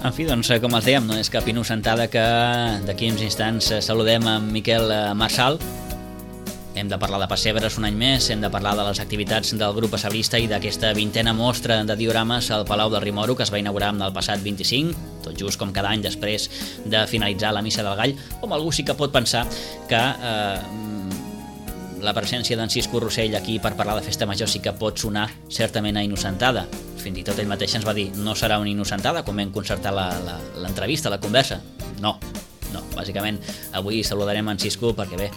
En fi, doncs, com els dèiem, no és cap innocentada que d'aquí uns instants saludem amb Miquel Marçal. Hem de parlar de pessebres un any més, hem de parlar de les activitats del grup pessebrista i d'aquesta 20a mostra de diorames al Palau del Rimoro, que es va inaugurar el passat 25, tot just com cada any després de finalitzar la Missa del Gall. Home, algú sí que pot pensar que la presència d'en Cisco Rossell aquí per parlar de Festa Major sí que pot sonar certament a innocentada. Fins i tot ell mateix ens va dir no serà una innocentada com vam concertar l'entrevista, la conversa. No, bàsicament avui saludarem en Cisco perquè bé,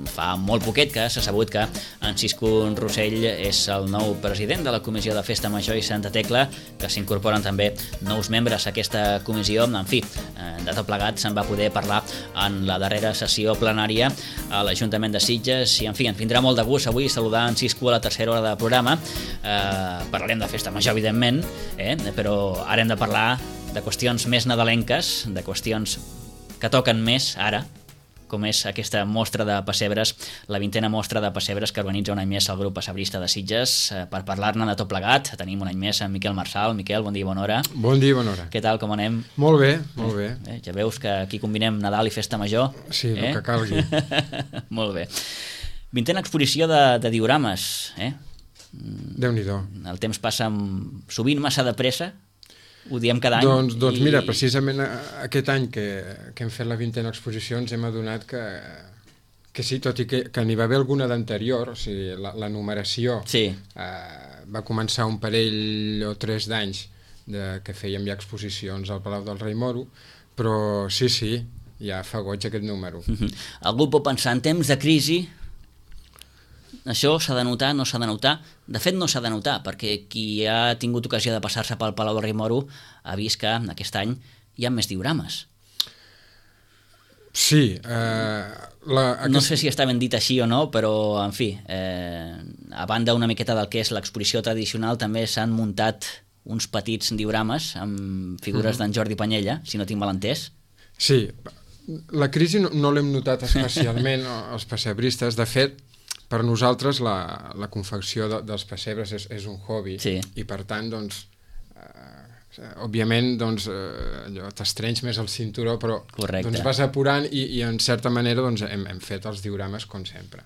fa molt poquet que s'ha sabut que en Cisco Rossell és el nou president de la Comissió de Festa Major i Santa Tecla, que s'incorporen també nous membres a aquesta comissió. En fi, de tot plegat se'n va poder parlar en la darrera sessió plenària a l'Ajuntament de Sitges i en fi, ens vindrà molt de gust avui saludar en Cisco a la tercera hora de programa. Parlarem de Festa Major, evidentment, però ara hem de parlar de qüestions més nadalenques, de qüestions que toquen més ara, com és aquesta mostra de pessebres, la 20a mostra de pessebres que organitza un any més el grup pessebrista de Sitges. Per parlar-ne de tot plegat, tenim un any més en Miquel Marçal. Miquel, bon dia i bona hora. Bon dia i bona hora. Què tal, com anem? Molt bé, molt bé. Ja veus que aquí combinem Nadal i Festa Major. Sí, el que calgui. Molt bé. 20a exposició de diorames. Déu-n'hi-do. El temps passa sovint massa de pressa. Ho diem cada any. Doncs mira, precisament aquest any que hem fet la 20a exposició ens hem adonat que sí, tot i que n'hi va haver alguna d'anterior, o sigui, la numeració va començar un parell o 3 d'anys que fèiem ja exposicions al Palau del Rimoro, però sí, ja fa goig aquest número. Algú pot pensar, en temps de crisi, això s'ha de notar, no s'ha de notar? De fet, no s'ha de notar, perquè qui ha tingut ocasió de passar-se pel Palau del Rimoro ha vist que aquest any hi ha més diorames. Sí. No sé si està ben dit així o no, però, en fi, a banda una miqueta del que és l'exposició tradicional, també s'han muntat uns petits diorames amb figures d'en Jordi Panyella, si no tinc mal entès. Sí, la crisi no l'hem notat especialment els pessebristes. De fet, per nosaltres la confecció dels pessebres és un hobby i per tant doncs òbviament doncs t'estrenys més el cinturó, però doncs vas apurant i en certa manera doncs hem fet els diorames com sempre.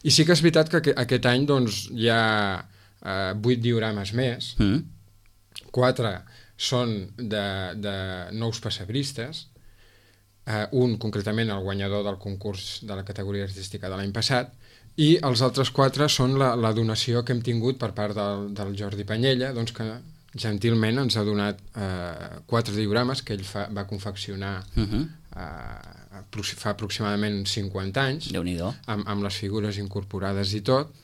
I sí que és veritat que aquest any doncs hi ha 8 diorames més, 4 són de nous pessebristes, un concretament el guanyador del concurs de la categoria artística de l'any passat, i els altres 4 són la donació que hem tingut per part del Jordi Panyella, doncs que gentilment ens ha donat 4 diorames que ell va confeccionar fa aproximadament 50 anys, amb les figures incorporades i tot,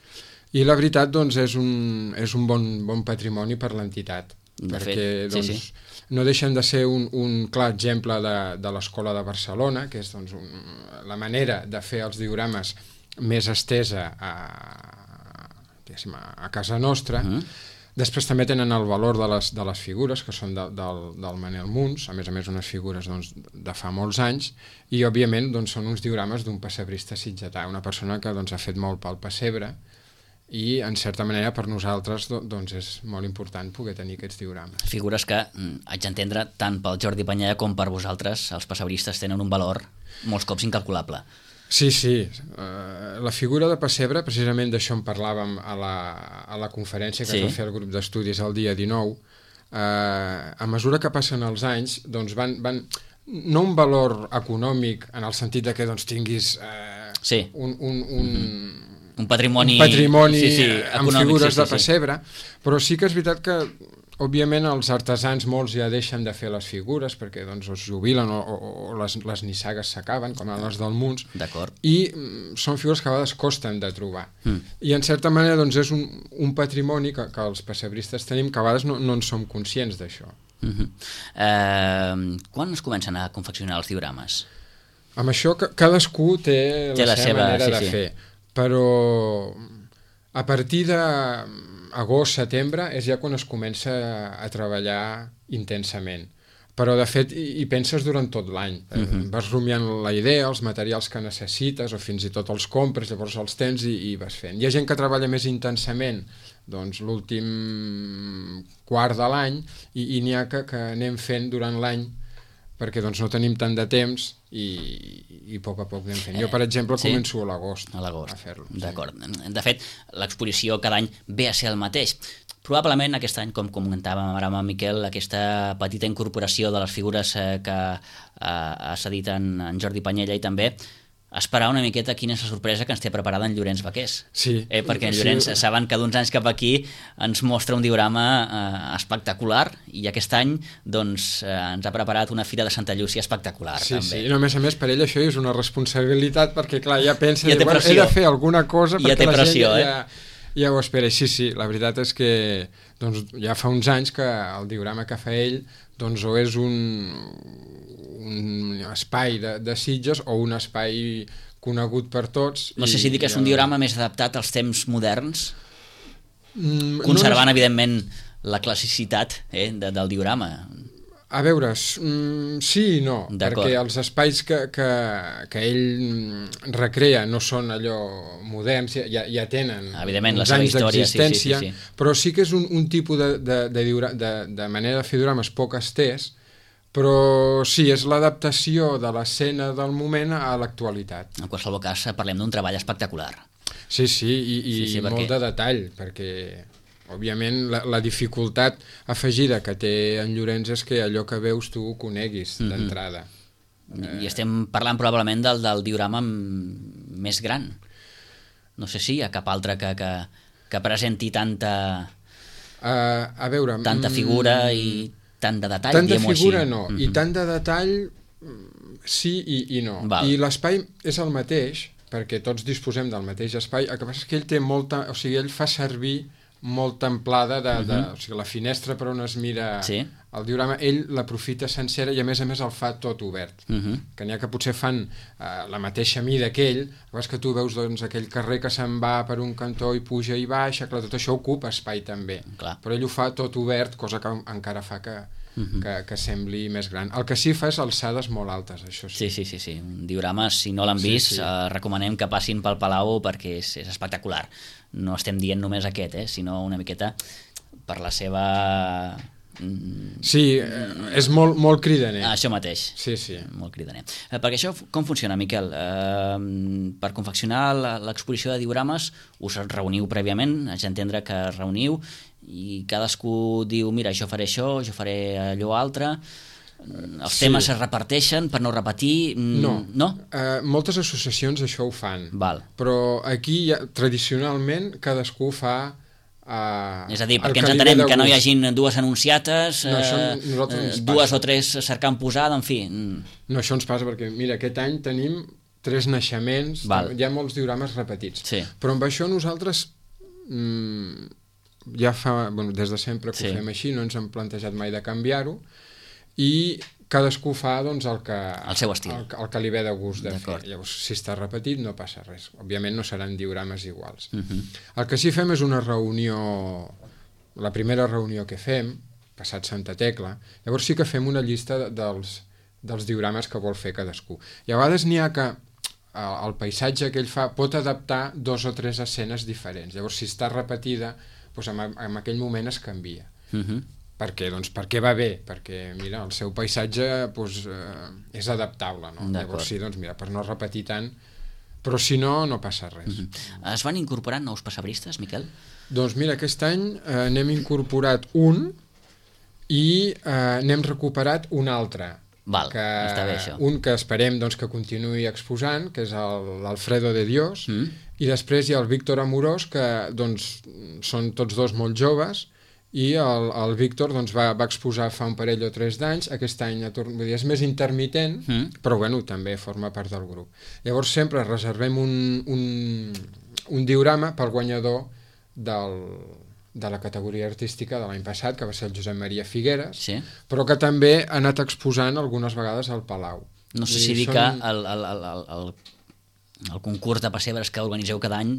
i la veritat doncs és un bon patrimoni per l'entitat, perquè doncs no deixen de ser un clar exemple de l'Escola de Barcelona, que és doncs la manera de fer els diorames més estesa a casa nostra. Després també tenen el valor de les figures, que són del Manel Muns, a més unes figures doncs, de fa molts anys, i òbviament doncs, són uns diorames d'un pessebrista sitgetà, una persona que doncs, ha fet molt pel pessebre, i en certa manera per nosaltres doncs, és molt important poder tenir aquests diorames. Figures que, haig d'entendre, tant pel Jordi Panyella com per vosaltres, els pessebristes tenen un valor molts cops incalculable. Sí, la figura de pessebre, precisament d'això en parlàvem a la conferència que es va fer al grup d'estudis el dia 19, a mesura que passen els anys doncs van no un valor econòmic en el sentit de que doncs, tinguis un patrimoni amb figures de pessebre, però sí que és veritat que òbviament els artesans molts ja deixen de fer les figures perquè doncs, es jubilen o les nissagues s'acaben, com les del Muns, i són figures que a vegades costen de trobar. I en certa manera doncs, és un patrimoni que els pessebristes tenim que a vegades no en som conscients d'això. Quan es comencen a confeccionar els diorames? Amb això cadascú té la seva manera de fer, però a partir d'agost, setembre és ja quan es comença a treballar intensament. però de fet hi penses durant tot l'any. Vas rumiant la idea, els materials que necessites, o fins i tot els compres, llavors els tens i vas fent. Hi ha gent que treballa més intensament doncs, l'últim quart de l'any i n'hi ha que anem fent durant l'any perquè doncs, no tenim tant de temps i a poc anem fent. Jo, per exemple, començo a l'agost a fer-lo. D'acord. De fet, l'exposició cada any ve a ser el mateix. Probablement aquest any, com comentàvem ara amb en Miquel, aquesta petita incorporació de les figures que ha cedit en Jordi Panyella i també esperar una miqueta quina és la sorpresa que ens té preparada en Llorenç Vaqués. Sí. Perquè en Llorenç saben que d'uns anys cap aquí ens mostra un diorama espectacular i aquest any doncs, ens ha preparat una fira de Santa Llúcia espectacular. Sí, també. Sí, no, a més per ell això és una responsabilitat perquè clar, ja pensa he de fer alguna cosa perquè la gent ja ho espera. Sí, la veritat és que doncs, ja fa uns anys que el diorama que fa ell doncs, o és un espai de Sitges o un espai conegut per tots. No sé si dir que és un diorama més adaptat als temps moderns, conservant evidentment la classicitat del diorama. A veure, sí i no, perquè els espais que ell recrea no són allò moderns, ja tenen uns anys d'existència, però sí que és un tipus de manera de fer diorames poc estès, però sí, és l'adaptació de l'escena del moment a l'actualitat. En qualsevol cas, parlem d'un treball espectacular. Sí, i molt de detall, perquè òbviament la dificultat afegida que té en Llorenç és que allò que veus tu ho coneguis d'entrada. I estem parlant probablement del diorama més gran. No sé si hi ha cap altre que presenti tanta figura i tant de detall. Tant de figura no, i tant de detall sí i no. I l'espai és el mateix, perquè tots disposem del mateix espai, el que passa és que ell té molta... O sigui, ell fa servir molta amplada o sigui, la finestra per on es mira el diorama, ell l'aprofita sencera i a més el fa tot obert, que n'hi ha que potser fan la mateixa mida que ell, que tu veus doncs, aquell carrer que se'n va per un cantó i puja i baixa, clar, tot això ocupa espai també, però ell ho fa tot obert, cosa que encara fa que sembli més gran. El que sí fa és alçades molt altes, això sí. Sí. Un diorama, si no l'han vist, recomanem que passin pel Palau perquè és espectacular. No estem dient només aquest, sinó una miqueta per la seva... Sí, és molt cridaner. Això mateix. Sí. Molt cridaner. Perquè això com funciona, Miquel? Per confeccionar l'exposició de diorames us reuniu prèviament, haig d'entendre que es reuniu i cadascú diu, mira, jo faré allò altre... Els temes es reparteixen per no repetir? No? Moltes associacions això ho fan. Però aquí tradicionalment cadascú fa és a dir, perquè ens entenem que no hi hagin dues anunciates, dues o tres cercant posada, en fi. No, això ens passa perquè, mira, aquest any tenim 3 naixements, hi ha molts diorames repetits. Però amb això nosaltres ja fa, des de sempre que ho fem així, no ens hem plantejat mai de canviar-ho, i cadascú fa doncs, el seu estil, el que li ve de gust de fer. Llavors, si està repetit no passa res, òbviament no seran diorames iguals. El que sí fem és una reunió, la primera reunió que fem, passat Santa Tecla, llavors sí que fem una llista dels diorames que vol fer cadascú, i a vegades n'hi ha que el paisatge que ell fa pot adaptar 2 o 3 escenes diferents, llavors si està repetida doncs en aquell moment es canvia. Per què? Doncs perquè va bé, perquè mira, el seu paisatge és adaptable, no? Llavors sí, doncs mira, per no repetir tant, però si no, no passa res. Es van incorporant nous pessebristes, Miquel? Doncs mira, aquest any n'hem incorporat un i n'hem recuperat un altre. Està bé això. Un que esperem doncs, que continuï exposant, que és l'Alfredo de Dios, i després hi ha el Víctor Amorós, que doncs, són tots dos molt joves, i el Víctor doncs, va exposar fa un parell o 3 d'anys, aquest any és més intermitent, però bueno, també forma part del grup. Llavors sempre reservem un diorama pel guanyador de la categoria artística de l'any passat, que va ser el Josep Maria Figueres, però que també ha anat exposant algunes vegades al Palau. No sé si dir que el concurs de pessebres que organitzeu cada any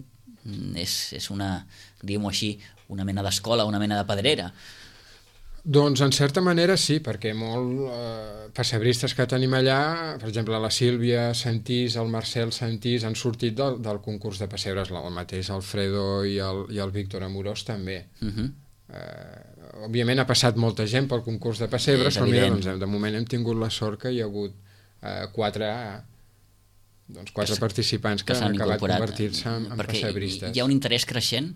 és una, diguem-ho així, una mena d'escola, una mena de pedrera. Doncs en certa manera sí, perquè molts pessebristes que tenim allà, per exemple la Sílvia Santís, el Marcel Santís, han sortit del concurs de pessebres, el mateix Alfredo i el Víctor Amorós també. Òbviament ha passat molta gent pel concurs de pessebres, però mira, doncs, de moment hem tingut la sort que hi ha hagut quatre participants que han acabat convertir-se en pessebristes. Hi ha un interès creixent?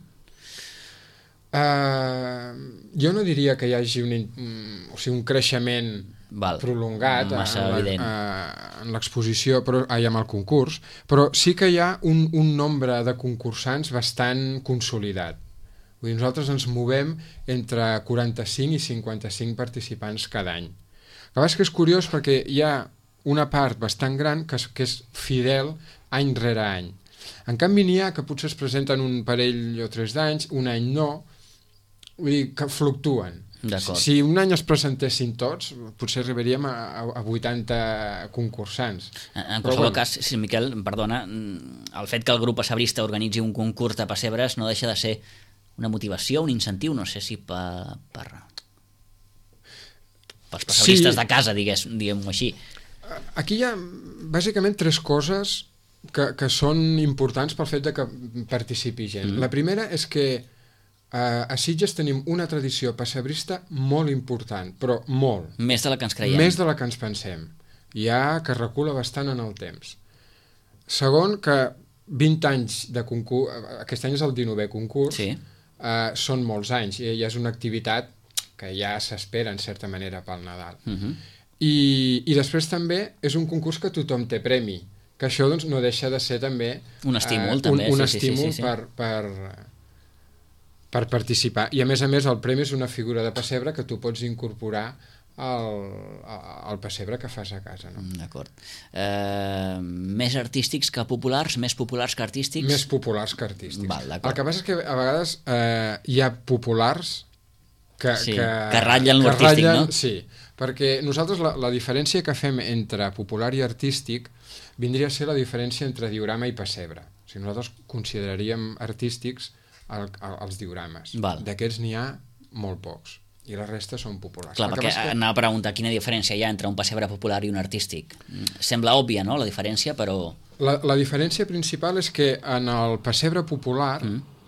Jo no diria que hi hagi un creixement prolongat en l'exposició, amb el concurs, però sí que hi ha un nombre de concursants bastant consolidat. Vull dir, nosaltres ens movem entre 45 i 55 participants cada any. El que passa és curiós perquè hi ha una part bastant gran que és fidel any rere any. En canvi n'hi ha que potser es presenten un parell o 3 d'anys, un any no, vull dir que fluctuen. Si un any es presentessin tots, potser arribaríem a 80 concursants. En qualsevol cas, si Miquel, perdona, el fet que el grup pessebrista organitzi un concurs de pessebres no deixa de ser una motivació, un incentiu, no sé si pels pessebristes de casa, diguem-ho així. Aquí hi ha bàsicament 3 coses que són importants pel fet de que participi gent. La primera és que a Sitges tenim una tradició pessebrista molt important, però molt. Més de la que ens creiem. Més de la que ens pensem. Que recula bastant en el temps. Segon, que 20 anys de concurs, aquest any és el 19è concurs, són molts anys, i ja és una activitat que ja s'espera en certa manera pel Nadal. I després també és un concurs que tothom té premi, que això doncs, no deixa de ser també un estímul, un estímul per participar. I a més el premi és una figura de pessebre que tu pots incorporar al pessebre que fas a casa. No? D'acord. Més artístics que populars? Més populars que artístics? Més populars que artístics. El que passa és que a vegades hi ha populars que ratllen l'artístic, no? Sí, perquè nosaltres la diferència que fem entre popular i artístic vindria a ser la diferència entre diorama i pessebre. O sigui, nosaltres consideraríem artístics els diorames. D'aquests n'hi ha molt pocs i la resta són populars. Clar, perquè anava a preguntar quina diferència hi ha entre un pessebre popular i un artístic. Sembla òbvia, no?, la diferència, però... La diferència principal és que en el pessebre popular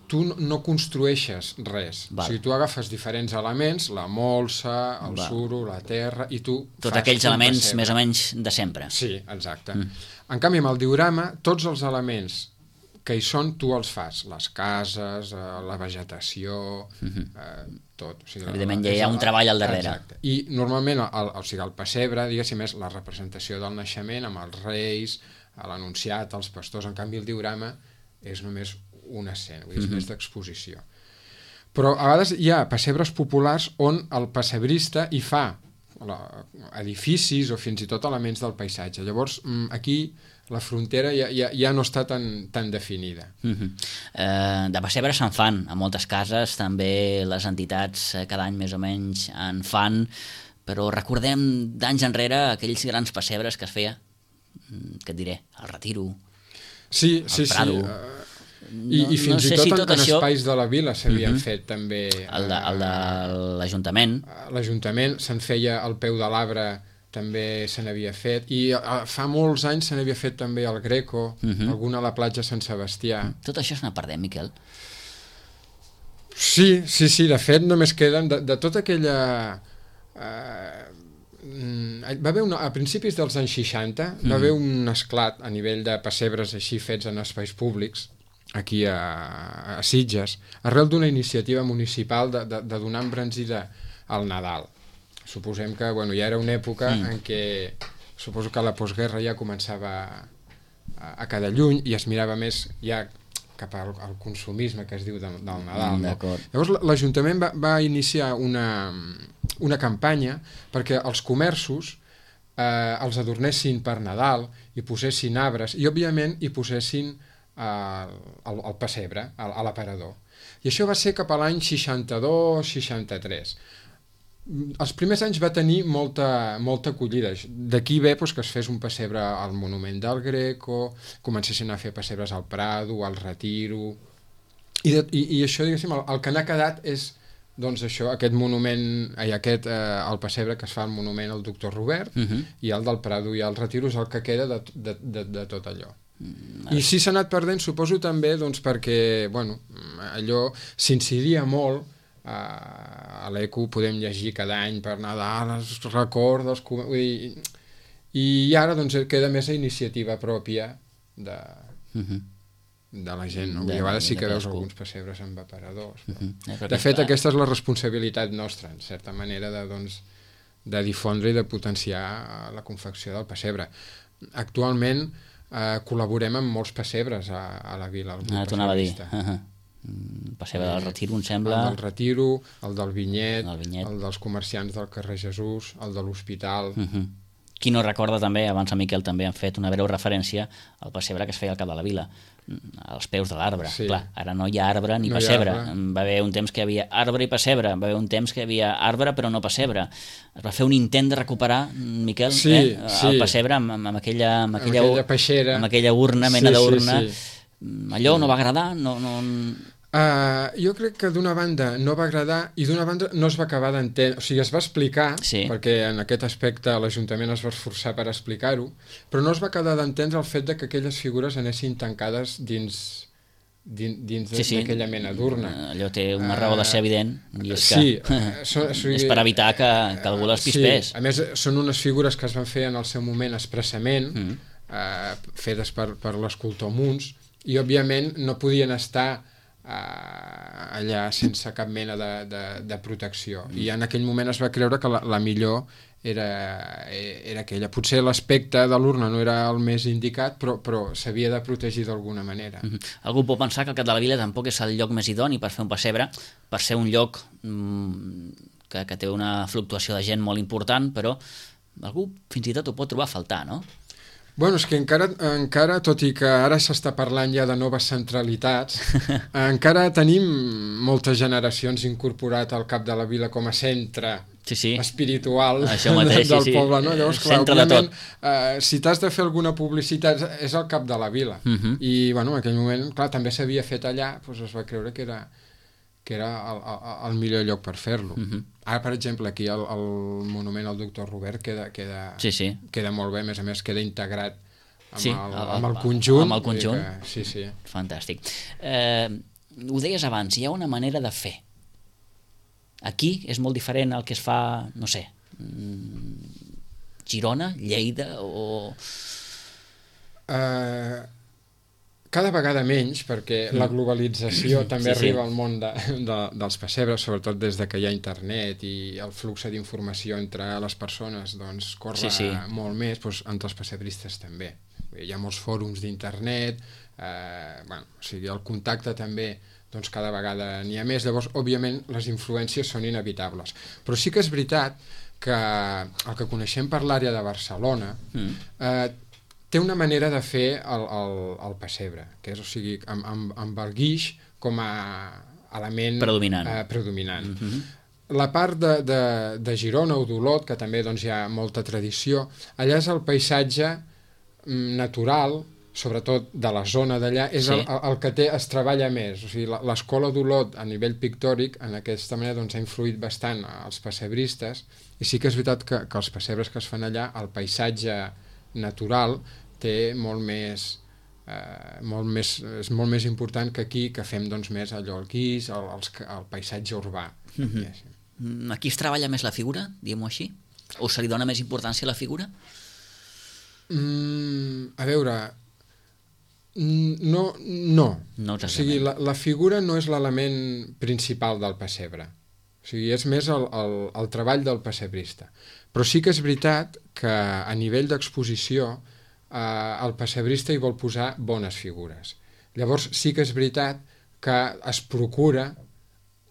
tu no construeixes res. O sigui, tu agafes diferents elements, la molsa, el suro, la terra, i tu tots aquells elements més o menys de sempre. Sí, exacte. En canvi, amb el diorama, tots els elements que hi són, tu els fas. Les cases, la vegetació, tot. O sigui, evidentment, ja hi ha un treball al darrere. Exacte. I normalment el pessebre, diguéssim, és la representació del naixement amb els reis, l'anunciat, els pastors. En canvi, el diorama és només una escena, vull dir, és més d'exposició. Però a vegades hi ha pessebres populars on el pessebrista hi fa edificis o fins i tot elements del paisatge. Llavors, aquí la frontera ja no està tan definida. De pessebre se'n fan a moltes cases, també les entitats cada any més o menys en fan, però recordem d'anys enrere aquells grans pessebres que es feia, què et diré, al Retiro, al Prado... I fins i tot en espais de la vila s'havien fet també. El de l'Ajuntament. L'Ajuntament se'n feia al peu de l'arbre, també se n'havia fet, i fa molts anys se n'havia fet també al Greco, alguna a la platja Sant Sebastià. Tot això s'anà perdent, Miquel? Sí, de fet només queden de tota aquella... va haver a principis dels anys 60 va haver un esclat a nivell de pessebres així fets en espais públics aquí a Sitges, arrel d'una iniciativa municipal de donar embranzida al Nadal. Suposem que ja era una època en què suposo que la postguerra ja començava a quedar lluny i es mirava més ja cap al consumisme que es diu del Nadal. No? Llavors l'Ajuntament va iniciar una campanya perquè els comerços els adornessin per Nadal i posessin arbres i òbviament hi posessin al pessebre, a l'aparador. I això va ser cap a l'any 62-63. Els primers anys va tenir molta acollida. D'aquí ve que es fes un pessebre al Monument del Greco, comencessin a fer pessebres al Prado, al Retiro, i això, diguéssim, el que n'ha quedat és doncs això, aquest monument, el pessebre que es fa al monument al doctor Robert, i el del Prado i el Retiro és el que queda de tot allò. I sí s'ha anat perdent, suposo també, doncs perquè, bueno, allò s'incidia molt, a l'ECO podem llegir cada any per Nadal, els records, i ara doncs queda més a iniciativa pròpia de la gent, no? A vegades sí que veus alguns pessebres amb aparadors. De fet, aquesta és la responsabilitat nostra, en certa manera, de difondre i de potenciar la confecció del pessebre. Actualment col·laborem amb molts pessebres a la vila. T'ho anava a dir. El pessebre del Retiro, em sembla. El del Retiro, el del Vinyet, el dels comerciants del carrer Jesús, el de l'Hospital. Qui no recorda també, abans el Miquel també han fet una breu referència al pessebre que es feia al cap de la vila, als peus de l'arbre. Clar, ara no hi ha arbre ni pessebre. Va haver un temps que hi havia arbre i pessebre, va haver un temps que hi havia arbre però no pessebre. Es va fer un intent de recuperar, Miquel, el pessebre amb aquella peixera, amb aquella urna, mena d'urna. Allò no va agradar? Jo crec que d'una banda no va agradar i d'una banda no es va acabar d'entendre, o sigui, es va explicar, perquè en aquest aspecte l'Ajuntament es va esforçar per explicar-ho, però no es va acabar d'entendre el fet de que aquelles figures anessin tancades dins d'aquella mena d'urna. Allò té una raó de ser evident, i és que és per evitar que algú les pispés. A més, són unes figures que es van fer en el seu moment expressament, fetes per l'escultor Muns, i òbviament no podien estar allà sense cap mena de protecció, i en aquell moment es va creure que la millor era aquella. Potser l'aspecte de l'urna no era el més indicat, però s'havia de protegir d'alguna manera. Algú pot pensar que el Cap de la Vila tampoc és el lloc més idoni per fer un pessebre, per ser un lloc que té una fluctuació de gent molt important, però algú fins i tot ho pot trobar a faltar, no? Bueno, és que encara, tot i que ara s'està parlant ja de noves centralitats, encara tenim moltes generacions incorporat al Cap de la Vila com a centre espiritual del poble, no? Llavors, clar, òbviament, si t'has de fer alguna publicitat és al Cap de la Vila. I, bueno, en aquell moment, clar, també s'havia fet allà, doncs es va creure que era el millor lloc per fer-lo. Ara, per exemple, aquí el monument al doctor Robert queda molt bé, a més queda integrat amb el conjunt. Amb el conjunt. Fantàstic. Ho deies abans, hi ha una manera de fer. Aquí és molt diferent al que es fa, no sé, Girona, Lleida o... Cada vegada menys, perquè la globalització també arriba al món dels pessebres, sobretot des que hi ha internet i el flux d'informació entre les persones corre molt més, entre els pessebristes també. Hi ha molts fòrums d'internet, el contacte també cada vegada n'hi ha més, llavors òbviament les influències són inevitables. Però sí que és veritat que el que coneixem per l'àrea de Barcelona té una manera de fer el pessebre, que és, o sigui, amb el guix com a element predominant. La part de Girona o d'Olot, que també hi ha molta tradició, allà és el paisatge natural, sobretot de la zona d'allà, és el que es treballa més. O sigui, l'escola d'Olot a nivell pictòric, en aquesta manera, ha influït bastant als pessebristes, i sí que és veritat que els pessebres que es fan allà, el paisatge natural té és molt més important que aquí, que fem més allò, el guix, el paisatge urbà. Aquí es treballa més la figura, diguem-ho així? O se li dona més importància a la figura? A veure, no. O sigui, la figura no és l'element principal del pessebre. O sigui, és més el treball del pessebrista. Però sí que és veritat que a nivell d'exposició el pessebrista hi vol posar bones figures. Llavors sí que és veritat que es procura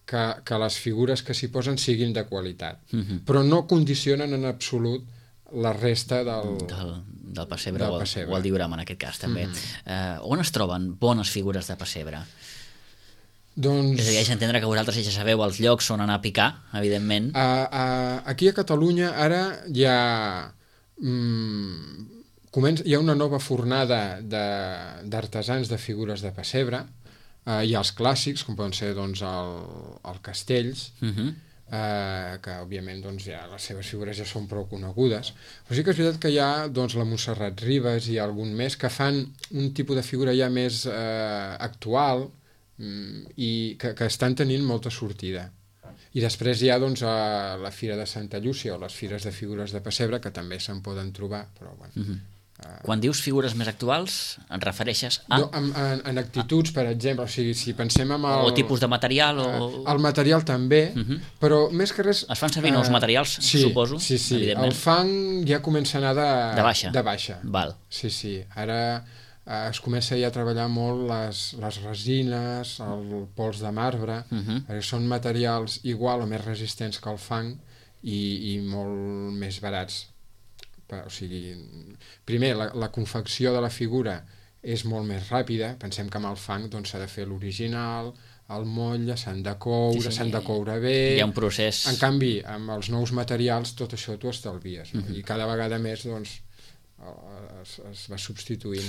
que les figures que s'hi posen siguin de qualitat, però no condicionen en absolut la resta del pessebre o el diorama en aquest cas també. On es troben bones figures de pessebre? Doncs... És a dir, haig d'entendre que vosaltres ja sabeu els llocs on anar a picar, evidentment. Aquí a Catalunya ara hi ha una nova fornada d'artesans de figures de pessebre. Hi ha els clàssics, com poden ser doncs, el Castells, que òbviament doncs, ja, les seves figures ja són prou conegudes, però sí que és veritat que hi ha doncs, la Montserrat Ribas i algun més que fan un tipus de figura ja més actual i que estan tenint molta sortida. I després hi ha doncs, la Fira de Santa Llúcia o les fires de figures de pessebre, que també se'n poden trobar, però bueno... Quan dius figures més actuals, et refereixes a... No, en actituds, per exemple, o sigui, si pensem en o tipus de material o... El material també, però més que res... Es fan servir nous materials, suposo, sí, evidentment. El fang ja comença a anar de baixa. De baixa. Val. Sí, ara es comença ja a treballar molt les resines, el pols de marbre, perquè són materials igual o més resistents que el fang i molt més barats. O sigui, primer, la confecció de la figura és molt més ràpida, pensem que amb el fang doncs, s'ha de fer l'original, el motlle, s'han de coure, s'han de coure bé... Hi ha un procés... En canvi, amb els nous materials tot això t'ho estalvies, no? I cada vegada més doncs, es va substituint...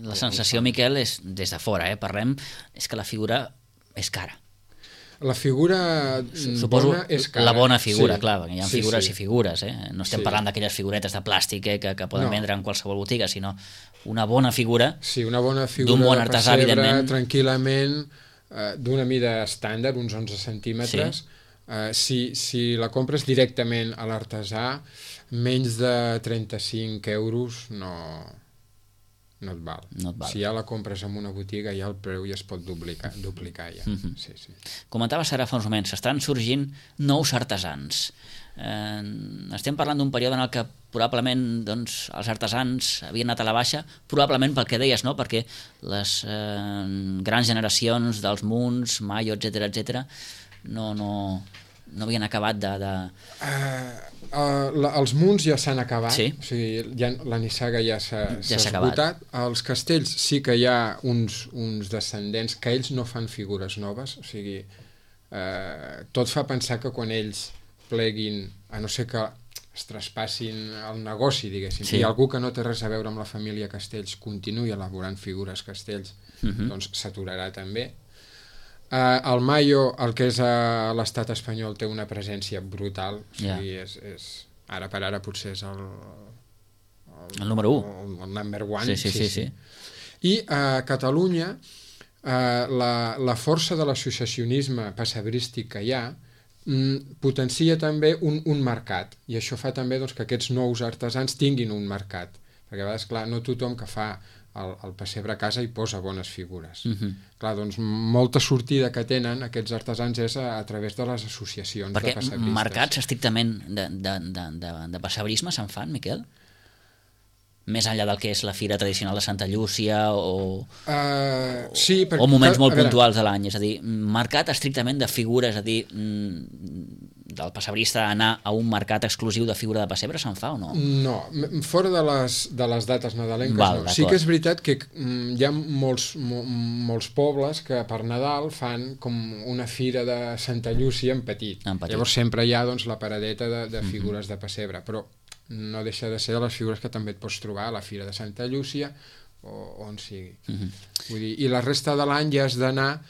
La sensació, Miquel, és, des de fora, parlem, és que la figura és cara. La figura bona és cara. La bona figura, clar, perquè hi ha figures i figures, no estem parlant d'aquelles figuretes de plàstic que poden vendre en qualsevol botiga, sinó una bona figura, una bona figura d'un bon artesà, evidentment. Tranquil·lament, d'una mida estàndard, uns 11 centímetres. Si la compres directament a l'artesà, menys de 35 euros no et val. Si ja la compres en una botiga, ja el preu ja es pot duplicar ja. Comentaves ara fa uns moments, estan sorgint nous artesans. Estem parlant d'un període en el que probablement doncs, els artesans havien anat a la baixa, probablement pel que deies, no? Perquè les grans generacions dels Munts, Mayo, etc no havien acabat de... Els munts ja s'han acabat, o sigui, la nissaga ja s'ha esgotat. Els castells sí que hi ha uns descendents que ells no fan figures noves, o sigui, tot fa pensar que quan ells pleguin, a no ser que es traspassin el negoci, diguéssim, i algú que no té res a veure amb la família Castells continuï elaborant figures Castells, doncs s'aturarà també. El Mayo, el que és a l'estat espanyol, té una presència brutal, o sigui, ara per ara potser és el número 1, el number one. Sí. I a Catalunya la força de l'associacionisme pessebrístic que hi ha potencia també un mercat, i això fa també doncs, que aquests nous artesans tinguin un mercat, perquè a vegades, clar, no tothom que fa el pessebre a casa i posa bones figures. Clar, doncs molta sortida que tenen aquests artesans és a través de les associacions de pessebristes. Perquè mercats estrictament de pessebrisme se'n fan, Miquel? Més enllà del que és la fira tradicional de Santa Llúcia o moments molt puntuals de l'any, és a dir, mercat estrictament de figures, és a dir, del pessebrista anar a un mercat exclusiu de figura de pessebre se'n fa o no? No, fora de les dates nadalenques no. Sí que és veritat que hi ha molts pobles que per Nadal fan com una fira de Santa Llúcia en petit. Llavors sempre hi ha doncs, la paradeta de figures de pessebre, però no deixa de ser de les figures que també et pots trobar a la Fira de Santa Llúcia o on sigui. Vull dir, i la resta de l'any ja has d'anar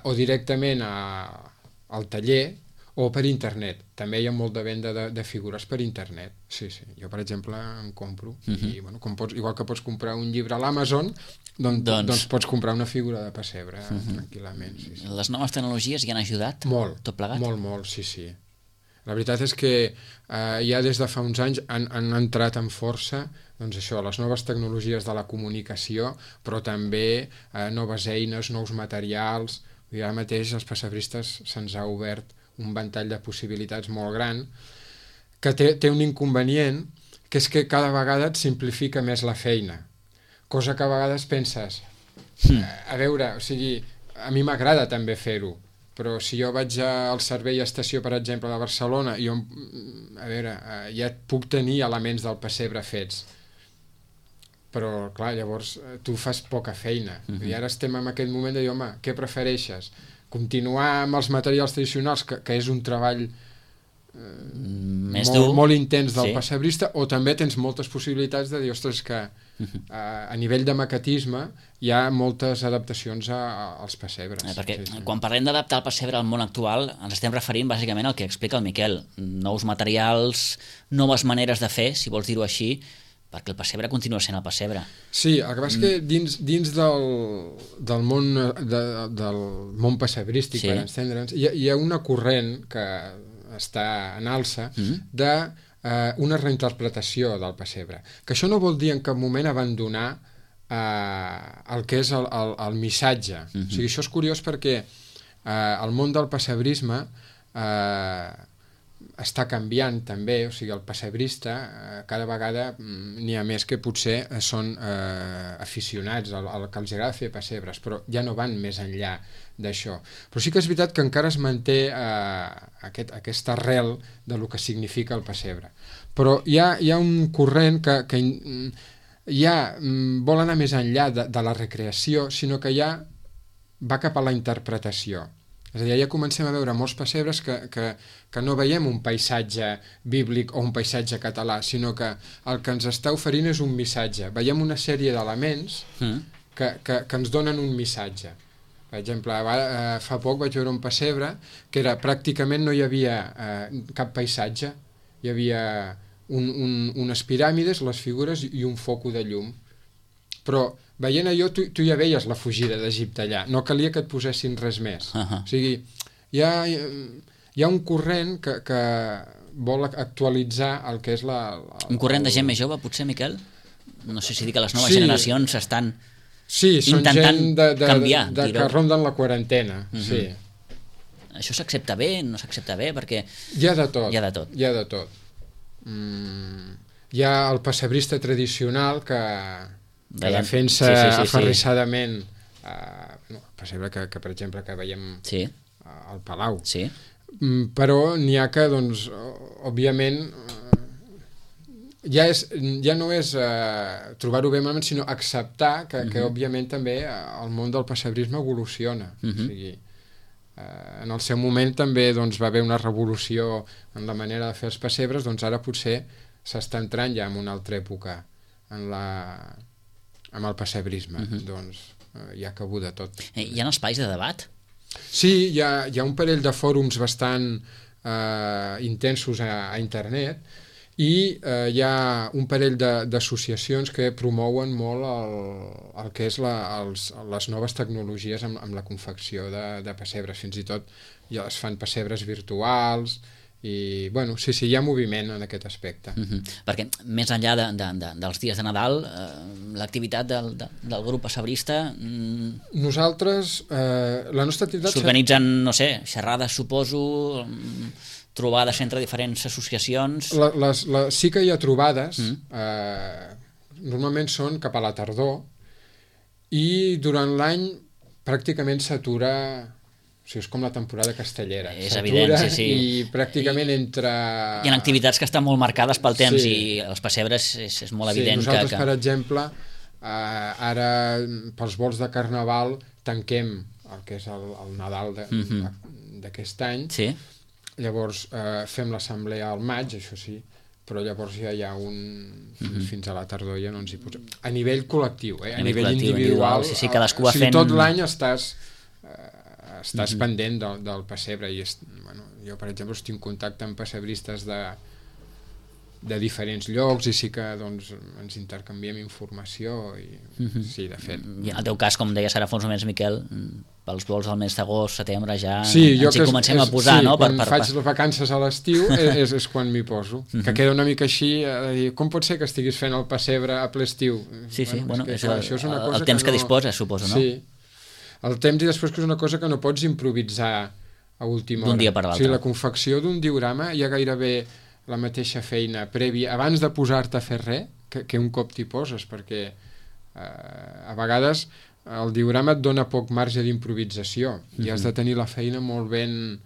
o directament al taller o per internet. També hi ha molt de venda de figures per internet. Sí. Jo, per exemple, en compro. I, bueno, igual que pots comprar un llibre a l'Amazon, doncs pots comprar una figura de pessebre tranquil·lament. Les noves tecnologies hi han ajudat? Molt, tot plegat? Molt, sí. La veritat és que ja des de fa uns anys han entrat amb força doncs això, les noves tecnologies de la comunicació, però també noves eines, nous materials. I ara mateix als pessebristes se'ns ha obert un ventall de possibilitats molt gran que té un inconvenient, que és que cada vegada et simplifica més la feina, cosa que a vegades penses a veure, o sigui, a mi m'agrada també fer-ho, però si jo vaig al servei estació, per exemple, de Barcelona, ja puc tenir elements del pessebre fets, però clar, llavors tu fas poca feina. I ara estem en aquest moment de dir, home, què prefereixes? Continuar amb els materials tradicionals, que és un treball molt intens del pessebrista, o també tens moltes possibilitats de dir, ostres, que a nivell de maquetisme hi ha moltes adaptacions als pessebres. Perquè quan parlem d'adaptar el pessebre al món actual ens estem referint bàsicament al que explica el Miquel, nous materials, noves maneres de fer, si vols dir-ho així, perquè el pessebre continua sent el pessebre. Sí, el que passa és que dins del món pessebrístic, per entendre'ns, hi ha una corrent que està en alça d'una reinterpretació del pessebre. Que això no vol dir en cap moment abandonar el que és el missatge. O sigui, això és curiós perquè el món del pessebrisme està canviant també, o sigui, el pessebrista cada vegada n'hi ha més que potser són aficionats al que els agrada fer pessebres, però ja no van més enllà d'això. Però sí que és veritat que encara es manté aquesta arrel de lo que significa el pessebre. Però hi ha un corrent que ja vol anar més enllà de la recreació, sinó que ja va cap a la interpretació. És a dir, ja comencem a veure molts pessebres que no veiem un paisatge bíblic o un paisatge català, sinó que el que ens està oferint és un missatge. Veiem una sèrie d'elements que ens donen un missatge. Per exemple, fa poc vaig veure un pessebre que pràcticament no hi havia cap paisatge. Hi havia unes piràmides, les figures i un foco de llum. Però veient allò, tu ja veies la fugida d'Egipte allà, no calia que et posessin res més. O sigui, hi ha un corrent que vol actualitzar el que és un corrent de gent més jove, potser, Miquel? No sé si dir que les noves generacions estan intentant canviar. Sí, que ronden la quarantena, sí. Això s'accepta bé, no s'accepta bé? Perquè hi ha de tot. Hi ha el pessebrista tradicional que defensa aferrissadament el pessebre que, per exemple, que veiem al Palau. Però n'hi ha que, doncs, òbviament, ja no és trobar-ho bé malament, sinó acceptar que òbviament, també el món del pessebrisme evoluciona. O sigui, en el seu moment també va haver una revolució en la manera de fer els pessebres, doncs ara potser s'està entrant ja en una altra època amb el pessebrisme. Doncs hi ha cabut de tot. Hi ha espais de debat? Sí, hi ha un parell de fòrums bastant intensos a internet i hi ha un parell d'associacions que promouen molt el que és les noves tecnologies amb la confecció de pessebres. Fins i tot ja es fan pessebres virtuals i, bueno, sí, hi ha moviment en aquest aspecte. Perquè més enllà dels dies de Nadal, l'activitat del grup pessebrista... Nosaltres, la nostra activitat... S'organitzen, no sé, xerrades, suposo, trobades entre diferents associacions... Sí que hi ha trobades, normalment són cap a la tardor, i durant l'any pràcticament s'atura... O sigui, és com la temporada castellera. És evident, sí. I pràcticament entre... Hi ha activitats que estan molt marcades pel temps i els pessebres és molt evident que... Nosaltres, per exemple, ara pels vols de Carnaval tanquem el que és el Nadal d'aquest any. Llavors fem l'assemblea al maig, això sí, però llavors ja hi ha fins a la tardor ja no ens hi posem. A nivell col·lectiu, a nivell individual. Sí, cadascú va fent... Tot l'any estàs pendent del pessebre i jo, per exemple, estic en contacte amb pessebristes de diferents llocs i sí que ens intercanviem informació i sí, de fet. I en el teu cas, com deies ara fa uns moments, Miquel, pels vols del mes d'agost, setembre ja ens hi comencem a posar, no? Quan faig les vacances a l'estiu és quan m'hi poso, que queda una mica així, com pot ser que estiguis fent el pessebre a ple estiu? Sí, bueno, és el temps que disposes, suposo, no? Sí, el temps i després que és una cosa que no pots improvisar a última hora. D'un dia per l'altre. O sigui, la confecció d'un diorama hi ha gairebé la mateixa feina prèvia abans de posar-te a fer res que un cop t'hi poses, perquè a vegades el diorama et dona poc marge d'improvisació i has de tenir la feina molt ben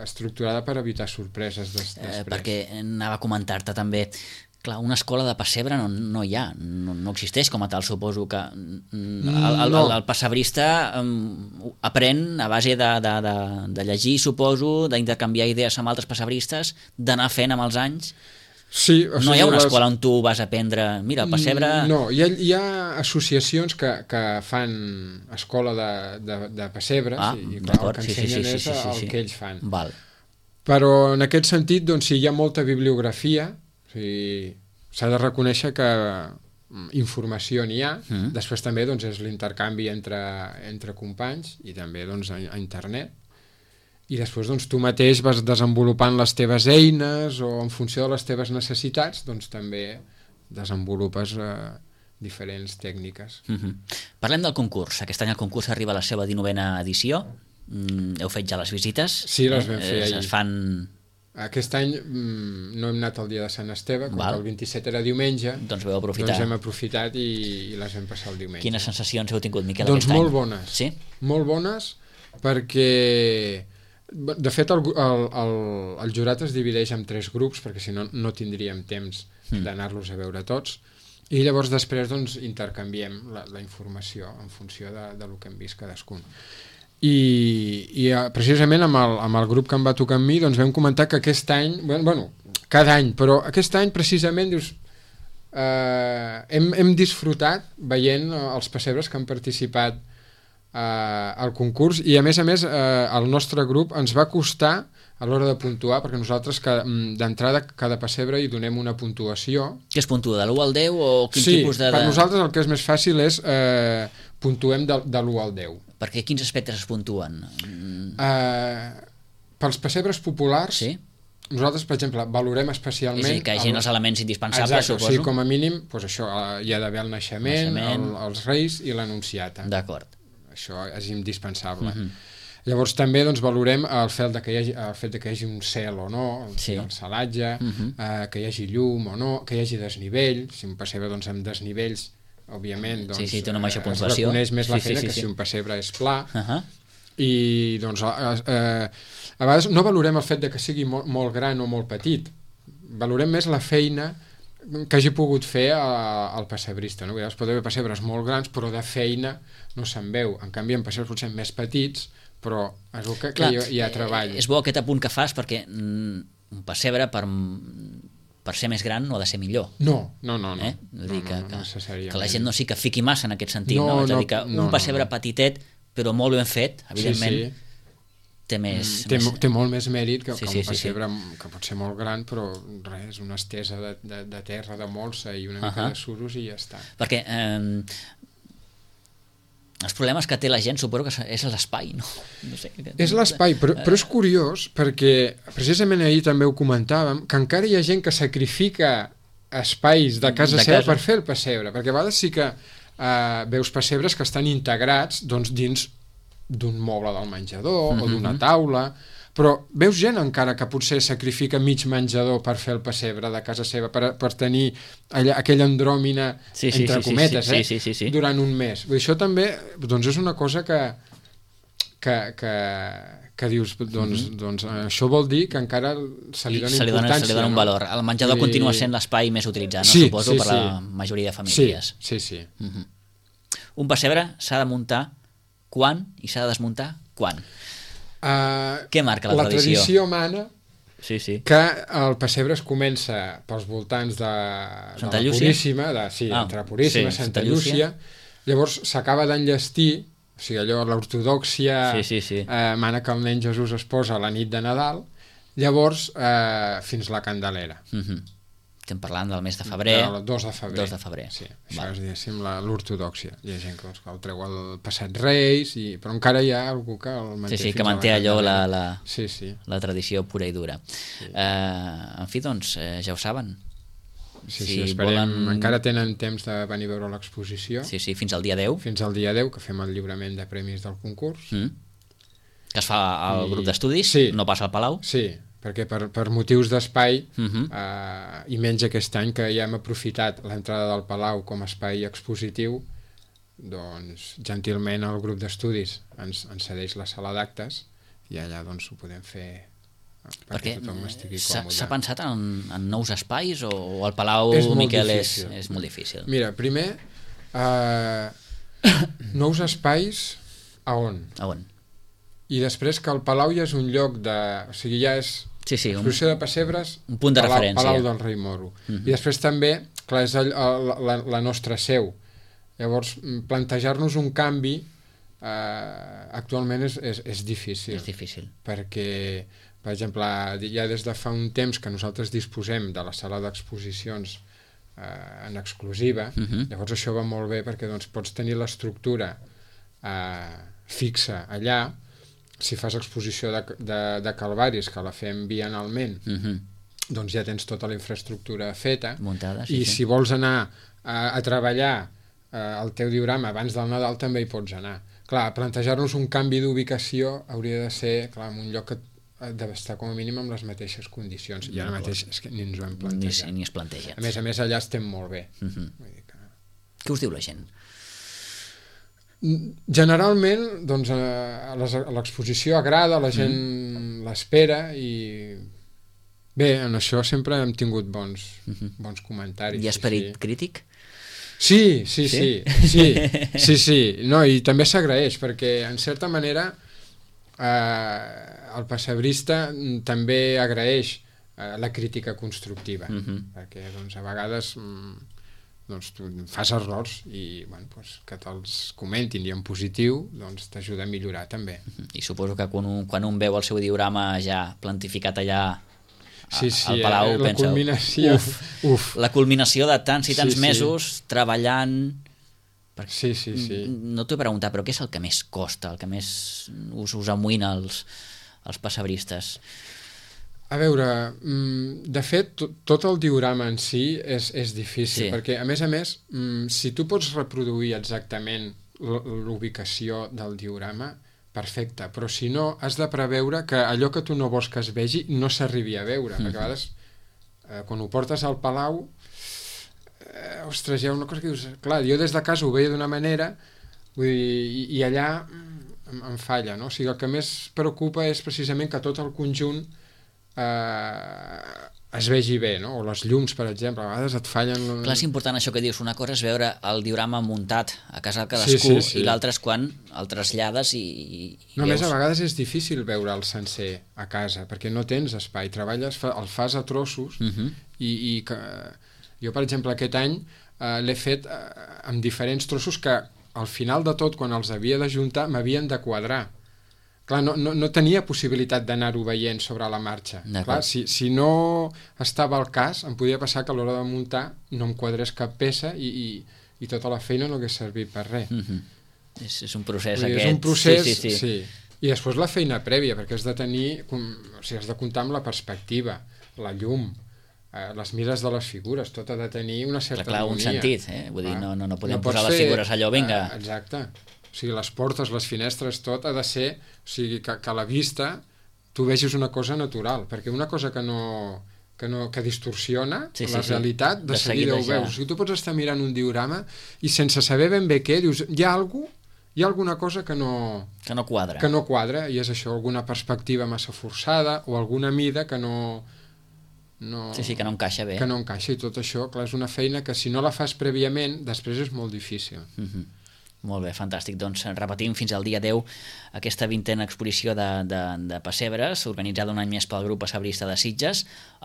estructurada per evitar sorpreses després. Perquè anava a comentar-te també Clar, una escola de pessebre no hi ha, no existeix com a tal, suposo que el pessebrista aprèn a base de llegir, suposo, d'intercanviar idees amb altres pessebristes, d'anar fent amb els anys. Sí, no hi ha una escola on tu vas aprendre, mira, el pessebre... No, hi ha associacions que fan escola de pessebres i clar, el que ensenyen és el que ells fan. Val. Però en aquest sentit, doncs, sí, hi ha molta bibliografia. O sigui, s'ha de reconèixer que informació n'hi ha, després també doncs, és l'intercanvi entre companys i també doncs, a internet, i després doncs, tu mateix vas desenvolupant les teves eines o en funció de les teves necessitats doncs, també desenvolupes diferents tècniques. Parlem del concurs. Aquest any el concurs arriba a la seva 19a edició. Heu fet ja les visites? Sí, les vam fer ahir. Es fan... Aquest any no hem anat el dia de Sant Esteve, com que el 27 era diumenge, doncs vau aprofitar. Doncs hem aprofitat i les vam passar el diumenge. Quines sensacions heu tingut, Miquel, doncs aquest any? Doncs molt bones. Sí? Molt bones, perquè de fet el jurat es divideix en 3 grups, perquè si no no tindríem temps d'anar-los a veure tots, i llavors després doncs, intercanviem la informació en funció del que hem vist cadascun. I precisament amb el grup que em va tocar amb mi doncs vam comentar que aquest any, bueno, cada any, però aquest any precisament dius, hem disfrutat veient els pessebres que han participat al concurs i a més el nostre grup ens va costar a l'hora de puntuar, perquè nosaltres d'entrada cada pessebre hi donem una puntuació. Què es puntua, de l'1 al 10 o quin tipus de... Sí, per nosaltres el que és més fàcil és puntuem de l'1 al 10. Perquè quins aspectes es puntuen? Pels pessebres populars, sí? Nosaltres, per exemple, valorem especialment... És a dir, que hi hagi els elements indispensables, exacte, suposo. Sí, com a mínim, doncs això, hi ha d'haver el naixement, els reis i l'anunciata. D'acord. Això és indispensable. Llavors també doncs, valorem el fet que hi hagi un cel o no, el celatge, que hi hagi llum o no, que hi hagi desnivell. Si un pessebre doncs, amb desnivells, òbviament, doncs, té una major es puntuació. Reconeix més la feina que si un pessebre és pla. I doncs, a vegades no valorem el fet que sigui molt gran o molt petit. Valorem més la feina que hagi pogut fer el pessebrista. No? Es pot haver pessebres molt grans, però de feina no se'n veu. En canvi, en pessebres potser més petits, però és el que hi ha treball. És bo aquest apunt que fas, perquè un pessebre per ser més gran no ha de ser millor. No. Vull dir que necessàriament. La gent no sí que fiqui massa en aquest sentit. És a dir, que un pessebre petitet, però molt ben fet, evidentment, té molt més mèrit que un pessebre que pot ser molt gran, però res, una estesa de terra, de molsa i una mica de suros i ja està. Perquè els problemes que té la gent suposo que és l'espai, no? És l'espai, però és curiós perquè precisament ahir també ho comentàvem, que encara hi ha gent que sacrifica espais de casa seva per fer el pessebre, perquè a vegades sí que veus pessebres que estan integrats doncs, dins d'un moble del menjador o d'una taula, però veus gent encara que potser sacrifica mig menjador per fer el pessebre de casa seva, per tenir aquella andròmina, entre cometes, durant un mes. Això també doncs, és una cosa que dius, doncs això vol dir que encara se li dona importància. Se li dona un valor. El menjador continua sent l'espai més utilitzat, suposo, per la majoria de famílies. Sí. Un pessebre s'ha de muntar quan i s'ha de desmuntar quan? Què marca la tradició? La tradició mana que el pessebre es comença pels voltants de la Puríssima, entre Puríssima i Santa Llúcia, llavors s'acaba d'enllestir, o sigui, allò, l'ortodòxia mana que el nen Jesús es posa a la nit de Nadal, llavors fins la Candelera. Estem parlant del mes de febrer. El 2 de febrer. Sí, això és, diguéssim, l'ortodòxia. Hi ha gent que el treu el passat Reis, però encara hi ha algú que el manté fins a la Candelera. Que manté allò la tradició pura i dura. En fi, doncs, ja ho saben. Sí, esperem. Encara tenen temps de venir a veure l'exposició. Sí, fins al dia 10. Fins al dia 10, que fem el lliurament de premis del concurs. Que es fa al grup d'estudis, no passa al Palau. Sí, perquè per motius d'espai i menys aquest any que ja hem aprofitat l'entrada del Palau com a espai expositiu, doncs gentilment el grup d'estudis ens cedeix la sala d'actes i allà doncs ho podem fer perquè tothom estigui còmode. S'ha pensat en nous espais o el Palau, Miquel, és molt difícil? Mira, primer, nous espais a on? I després que el Palau ja és un lloc de... O sigui, ja és exposició de pessebres, un punt de referència. Palau del Rei Moro. I després també, clar, és la nostra seu. Llavors, plantejar-nos un canvi actualment és difícil. És difícil. Perquè, per exemple, ja des de fa un temps que nosaltres disposem de la sala d'exposicions en exclusiva, llavors això va molt bé perquè doncs, pots tenir l'estructura fixa allà. Si fas exposició de Calvaris, que la fem bienalment, doncs ja tens tota la infraestructura feta. Muntada, i si vols anar a treballar el teu diorama abans del Nadal també hi pots anar. Clar, plantejar-nos un canvi d'ubicació hauria de ser en un lloc que ha d'estar com a mínim amb les mateixes condicions. I ara mateix és que ni ens ho hem plantejat. Ni es planteja. A més, allà estem molt bé. Vull dir que... Què us diu la gent? Generalment, doncs, a l'exposició agrada, la gent l'espera i... Bé, en això sempre hem tingut bons comentaris. Hi ha esperit crític? Sí. No, i també s'agraeix, perquè en certa manera el pessebrista també agraeix la crítica constructiva, perquè doncs, a vegades doncs, tu fas errors i que te'ls comentin i en positiu doncs, t'ajuda a millorar també. I suposo que quan un veu el seu diorama ja plantificat allà al Palau, la pensa, culminació. La culminació de tants i tants mesos treballant. Sí. No t'ho he preguntat, però què és el que més costa, el que més us amoïna els pessebristes? A veure, de fet, tot el diorama en si és difícil, perquè, a més, si tu pots reproduir exactament l'ubicació del diorama, perfecte, però si no, has de preveure que allò que tu no vols que es vegi no s'arribi a veure, perquè a vegades, quan ho portes al Palau, ostres, hi ha una cosa que dius... Clar, jo des de casa ho veia d'una manera, vull dir, i allà em falla, no? O sigui, el que més preocupa és precisament que tot el conjunt es vegi bé, no? O les llums, per exemple, a vegades et fallen... Clar, és important això que dius, una cosa és veure el diorama muntat a casa de cadascú, i l'altra és quan el trasllades i no, veus... a més, a vegades és difícil veure el sencer a casa, perquè no tens espai, treballes, el fas a trossos, i que... Jo, per exemple, aquest any l'he fet amb diferents trossos que al final de tot, quan els havia d'ajuntar, m'havien de quadrar. Clar, no tenia possibilitat d'anar-ho veient sobre la marxa. Clar, si no estava al cas, em podia passar que a l'hora de muntar no em quadrés cap peça i tota la feina no hagués servit per res. És un procés aquest. És un procés, sí. I després la feina prèvia, perquè has de tenir... O sigui, has de comptar amb la perspectiva, la llum, les mires de les figures, tot ha de tenir una certa harmonia. Un sentit, Vull dir, no podem posar les figures allò, vinga... Exacte. O sigui, les portes, les finestres, tot ha de ser... O sigui, que a la vista tu vegis una cosa natural, perquè una cosa que distorsiona la realitat, de seguida ho veus. O sigui, tu pots estar mirant un diorama i sense saber ben bé què, dius, hi ha alguna cosa que no quadra, i és això, alguna perspectiva massa forçada o alguna mida que no... que no encaixa bé. Que no encaixa, i tot això, clar, és una feina que si no la fas prèviament, després és molt difícil. Molt bé, fantàstic. Doncs repetim fins al dia 10 aquesta 20a exposició de pessebres, organitzada un any més pel grup pessebrista de Sitges,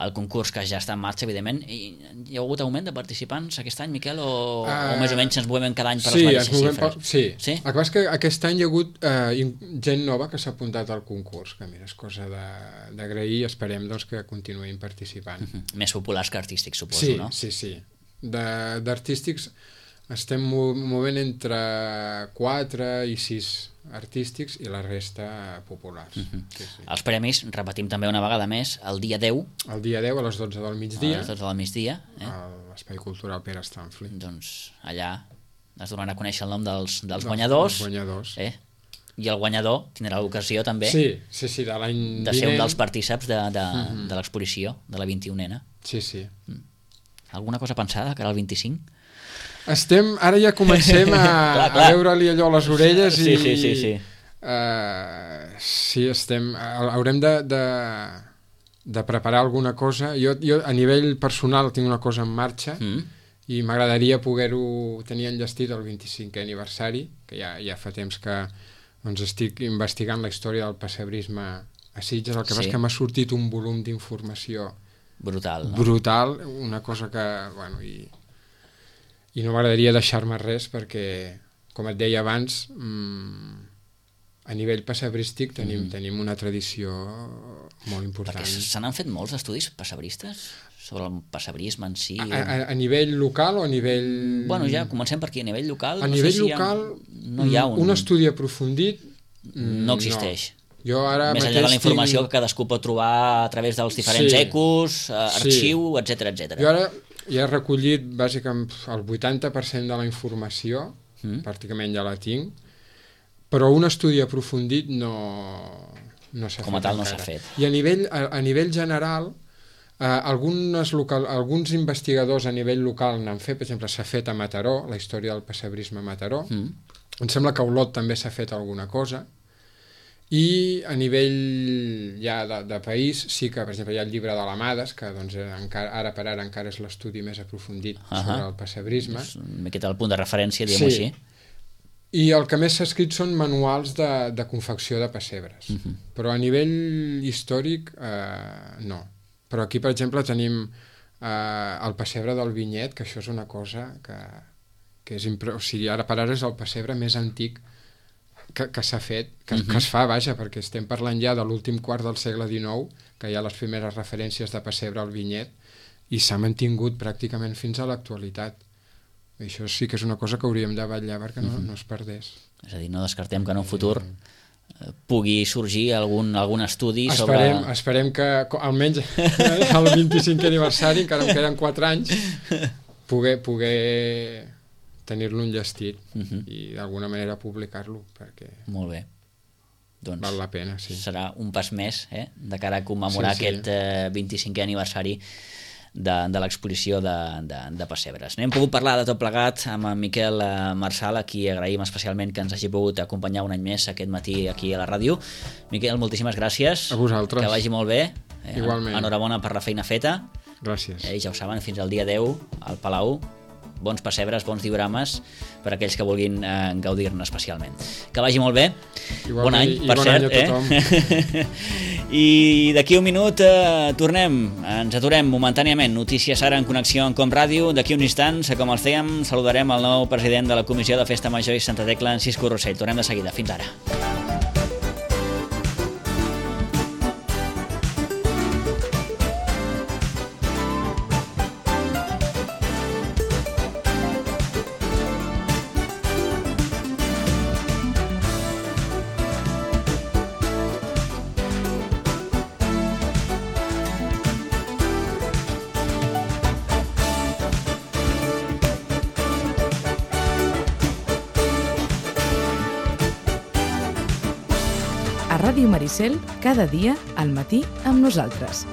el concurs que ja està en marxa, evidentment. Hi ha hagut augment de participants aquest any, Miquel, o més o menys ens movem cada any per les mateixes xifres? Sí, el que passa és que aquest any hi ha hagut gent nova que s'ha apuntat al concurs, que mira, és cosa d'agrair, i esperem doncs, que continuïn participant. Més populars que artístics, suposo, no? Sí. D'artístics estem movent entre 4 i 6 artístics i la resta populars. Els premis, repetim també una vegada més, el dia 10. El dia 10 a les 12 del migdia. A les 12 del migdia. A l'Espai Cultural Pere Stanfli. Doncs allà es donaran a conèixer el nom dels guanyadors. I el guanyador tindrà l'ocasió també de l'any vinent. De ser un dels partíceps de l'exposició, de la 21ena. Sí. Alguna cosa pensada que era el 25? Ara ja comencem a veure-li allò a les orelles i... Sí, estem... Haurem de preparar alguna cosa. Jo a nivell personal tinc una cosa en marxa i m'agradaria poder-ho tenir enllestit el 25è aniversari, que ja fa temps que doncs, estic investigant la història del pessebrisme a Sitges. El que passa és que m'ha sortit un volum d'informació brutal, no? Brutal, una cosa que... Bueno, i no m'agradaria deixar-me res perquè, com et deia abans, a nivell pessebrístic tenim una tradició molt important. Perquè se n'han fet molts estudis pessebristes sobre el pessebrisme en si? A nivell local o a nivell... Bueno, ja comencem per aquí. A nivell local... A nivell local, no hi ha un estudi aprofundit... No existeix. Jo ara més enllà de la informació que cadascú pot trobar a través dels diferents ecos, arxiu, etc etc. Jo ara ja he recollit bàsicament el 80% de la informació, pràcticament ja la tinc, però un estudi aprofundit no s'ha fet. Com a tal no s'ha fet. I a nivell general, alguns investigadors a nivell local n'han fet, per exemple, s'ha fet a Mataró, la història del pessebrisme a Mataró. Em sembla que a Olot també s'ha fet alguna cosa. I a nivell ja de país sí que, per exemple, hi ha el llibre de l'Amades, que doncs, ara per ara encara és l'estudi més aprofundit sobre el pessebrisme. M'he quedat el punt de referència, diguem-ho així. I el que més s'ha escrit són manuals de confecció de pessebres. Però a nivell històric, no. Però aquí, per exemple, tenim el pessebre del Vinyet, que això és una cosa que és o sigui, ara per ara és el pessebre més antic que s'ha fet, que es fa, vaja, perquè estem parlant ja de l'últim quart del segle XIX, que hi ha les primeres referències de pessebre al Vinyet, i s'ha mantingut pràcticament fins a l'actualitat. Això sí que és una cosa que hauríem de vetllar perquè no es perdés. És a dir, no descartem que en un futur pugui sorgir algun estudi sobre... Esperem que almenys al 25è aniversari, encara em queden 4 anys, poder tenir-lo enllestit i d'alguna manera publicar-lo, perquè molt bé. Doncs val la pena, sí. Serà un pas més de cara a commemorar aquest 25è aniversari de l'exposició de pessebres. N'hem pogut parlar de tot plegat amb en Miquel Marsal, a qui agraïm especialment que ens hagi pogut acompanyar un any més aquest matí aquí a la ràdio. Miquel, moltíssimes gràcies. A vosaltres. Que vagi molt bé. Igualment. Enhorabona per la feina feta. Gràcies. I ja ho saben, fins al dia 10 al Palau. Bons pessebres, bons diorames per a aquells que vulguin gaudir-ne especialment. Que vagi molt bé. Igualment, bon any, per cert. Any a tothom. I d'aquí un minut tornem, ens aturem momentàniament. Notícies ara en connexió amb Com Ràdio. D'aquí uns instants, com els dèiem, saludarem el nou president de la Comissió de Festa Major i Santa Tecla, en Cisco Rossell. Tornem de seguida. Fins ara. Ràdio Maricel, cada dia al matí amb nosaltres.